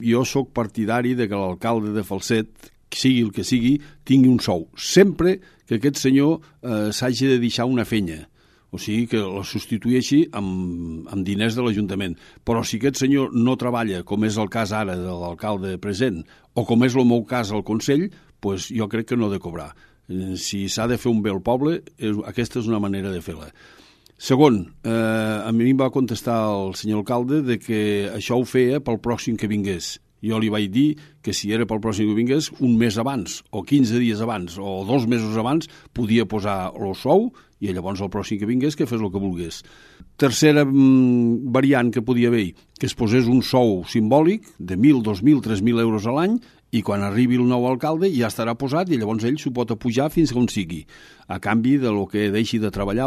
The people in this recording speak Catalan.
jo sóc partidari de que l'alcalde de Falset, sigui el que sigui, tingui un sou, sempre que aquest senyor s'hagi de deixar una fenya, o sigui que la substitueixi amb diners de l'Ajuntament. Però si aquest senyor no treballa, com és el cas ara de l'alcalde present, o com és el meu cas al Consell, doncs jo crec que no ha de cobrar. Si s'ha de fer un bé al poble, aquesta és una manera de fer-la. Segon, a mi em va contestar el senyor alcalde de que això ho feia pel pròxim que vingués. Jo li vaig dir que si era pel pròxim que vingués, un mes abans, o 15 dies abans, o 2 mesos abans, podia posar el sou i llavors el pròxim que vingués que fes el que volgués. Tercera variant que podia haver, que es posés un sou simbòlic de 1.000, 2.000, 3.000 euros a l'any i quan arribi el nou alcalde ja estarà posat i llavors ell s'ho pot apujar fins on sigui, a canvi de lo que deixi de treballar